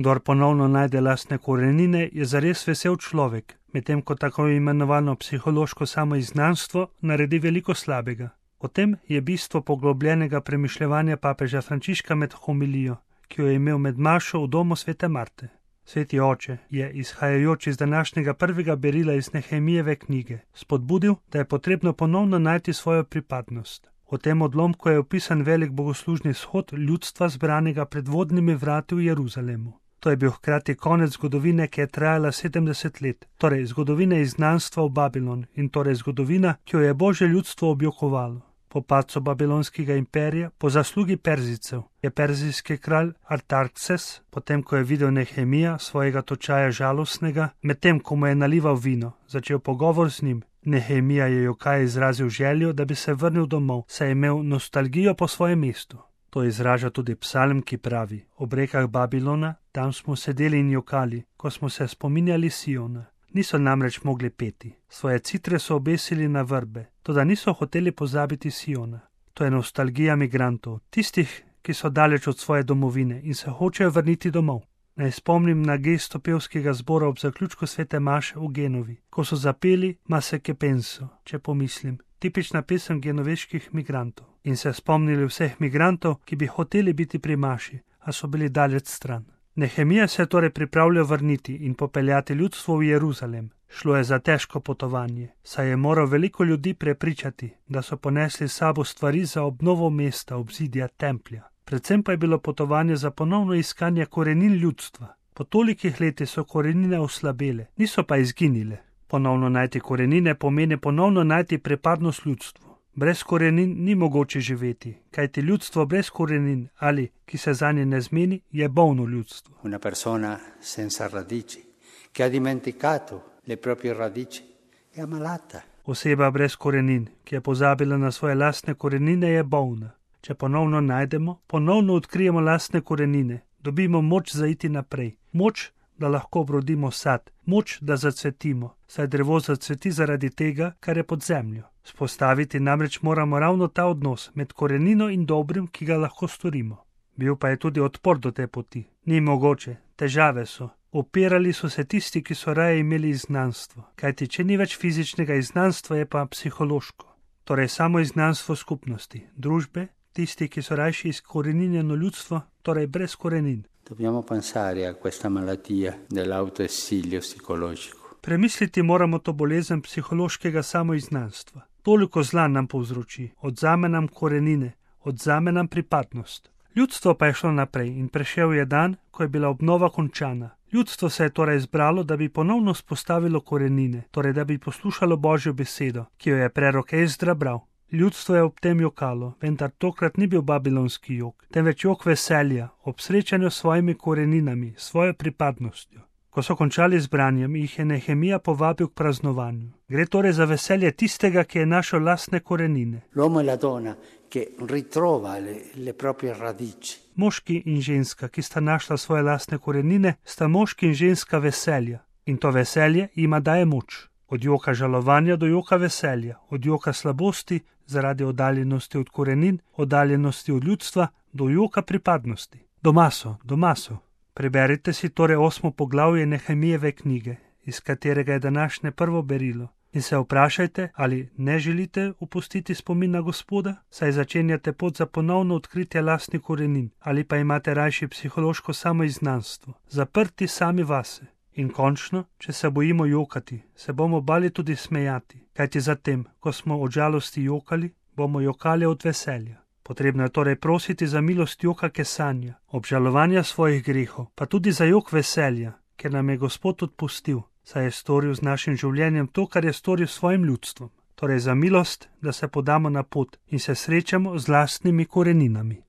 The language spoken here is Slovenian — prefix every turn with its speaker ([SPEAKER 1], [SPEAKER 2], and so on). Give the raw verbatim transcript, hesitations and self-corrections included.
[SPEAKER 1] Kdor ponovno najde lastne korenine, je zares vesel človek, medtem ko tako imenovano psihološko samoizgnanstvo naredi veliko slabega. O tem je bistvo poglobljenega premišljevanja papeža Frančiška med homilijo, ki jo je imel med mašo v domu svete Marte. Sveti oče je, izhajajoč iz današnjega prvega berila iz Nehemijeve knjige, spodbudil, da je potrebno ponovno najti svojo pripadnost. V tem odlomku je opisan velik bogoslužni shod ljudstva zbranega pred vodnimi vrati v Jeruzalemu. To je bil hkrati konec zgodovine, ki je trajala sedemdeset let, torej zgodovine izgnanstva v Babilon in torej zgodovina, ki jo je Božje ljudstvo objokovalo. Po padcu babilonskega imperija, po zaslugi Perzijcev, je perzijski kralj Artaxerxes, potem ko je videl Nehemija, svojega točaja žalostnega, medtem ko mu je nalival vino, začel pogovor z njim. Nehemija je jokaj izrazil željo, da bi se vrnil domov, saj je imel nostalgijo po svojem mestu. To izraža tudi psalm, ki pravi: ob rekah Babilona, tam smo sedeli in jokali, ko smo se spominjali Siona. Niso namreč mogli peti, svoje citre so obesili na vrbe, toda niso hoteli pozabiti Siona. To je nostalgija migrantov, tistih, ki so daleč od svoje domovine in se hočejo vrniti domov. Naj spomnim na gesto pevskega zbora ob zaključku svete maše v Genovi, ko so zapeli Mase che penso, če pomislim, tipična pesem genoveških migrantov, in se spomnili vseh migrantov, ki bi hoteli biti pri maši, a so bili daleč stran. Nehemija se je torej pripravljal vrniti in popeljati ljudstvo v Jeruzalem. Šlo je za težko potovanje, saj je moral veliko ljudi prepričati, da so ponesli s sabo stvari za obnovo mesta, obzidja, templja. Predvsem pa je bilo potovanje za ponovno iskanje korenin ljudstva. Po tolikih letih so korenine oslabele, niso pa izginile. Ponovno najti korenine pomeni ponovno najti pripadnost ljudstvu. Brez korenin ni mogoče živeti, kajti ljudstvo brez korenin ali, ki se zanje ne zmeni, je bolno ljudstvo.
[SPEAKER 2] Una persona senza radici, che ha dimenticato le proprie radici, è ammalata.
[SPEAKER 1] Oseba brez korenin, ki je pozabila na svoje lastne korenine, je bolna. Če ponovno najdemo, ponovno odkrijemo lastne korenine, dobimo moč za iti naprej, moč, da lahko obrodimo sad, moč, da zacvetimo, saj drevo zacveti zaradi tega, kar je pod zemljo. Spostaviti namreč moramo ravno ta odnos med korenino in dobrim, ki ga lahko storimo. Bil pa je tudi odpor do te poti. Ni mogoče, težave so. Opirali so se tisti, ki so raje imeli izgnanstvo, kajti če ni več fizičnega izgnanstva, je pa psihološko. Torej samo izgnanstvo skupnosti, družbe, tisti, ki so rajši izkoreninjeno ljudstvo, torej brez korenin.
[SPEAKER 2] Dobbiamo pensare a questa malattia dell'autoesilio psicologico.
[SPEAKER 1] Premisliti moramo to bolezen psihološkega samoizgnanstva. Toliko zla nam povzroči, odzame nam korenine, odzame nam pripadnost. Ljudstvo pa je šlo naprej in prešel je dan, ko je bila obnova končana. Ljudstvo se je torej zbralo, da bi ponovno spostavilo korenine, torej da bi poslušalo Božjo besedo, ki jo je prerok Ezdra bral. Ljudstvo je ob tem jokalo, vendar tokrat ni bil babilonski jok, temveč jok veselja, ob srečanju s svojimi koreninami, svojo pripadnostjo. Ko so končali z branjem, jih je Nehemija povabil k praznovanju. Gre torej za veselje tistega, ki je našel lastne korenine.
[SPEAKER 2] L'uomo e la donna che ritrova le, le proprie radici.
[SPEAKER 1] Moški in ženska, ki sta našla svoje lastne korenine, sta moški in ženska veselja. In to veselje jima daje moč. Od joka žalovanja do joka veselja, od joka slabosti zaradi oddaljenosti od korenin, oddaljenosti od ljudstva, do joka pripadnosti. Doma so, doma so. Preberite si torej osmo poglavje Nehemijeve knjige, iz katerega je današnje prvo berilo, in se vprašajte, ali ne želite opustiti spomin na Gospoda, saj začenjate pot za ponovno odkritje lastnih korenin, ali pa imate rajši psihološko samoizgnanstvo, zaprti sami vase. In končno, če se bojimo jokati, se bomo bali tudi smejati, kajti zatem, ko smo od žalosti jokali, bomo jokali od veselja. Potrebno je torej prositi za milost joka kesanja, obžalovanja svojih grehov, pa tudi za jok veselja, ker nam je Gospod odpustil, saj je storil z našim življenjem to, kar je storil s svojim ljudstvom. Torej za milost, da se podamo na pot in se srečamo z lastnimi koreninami.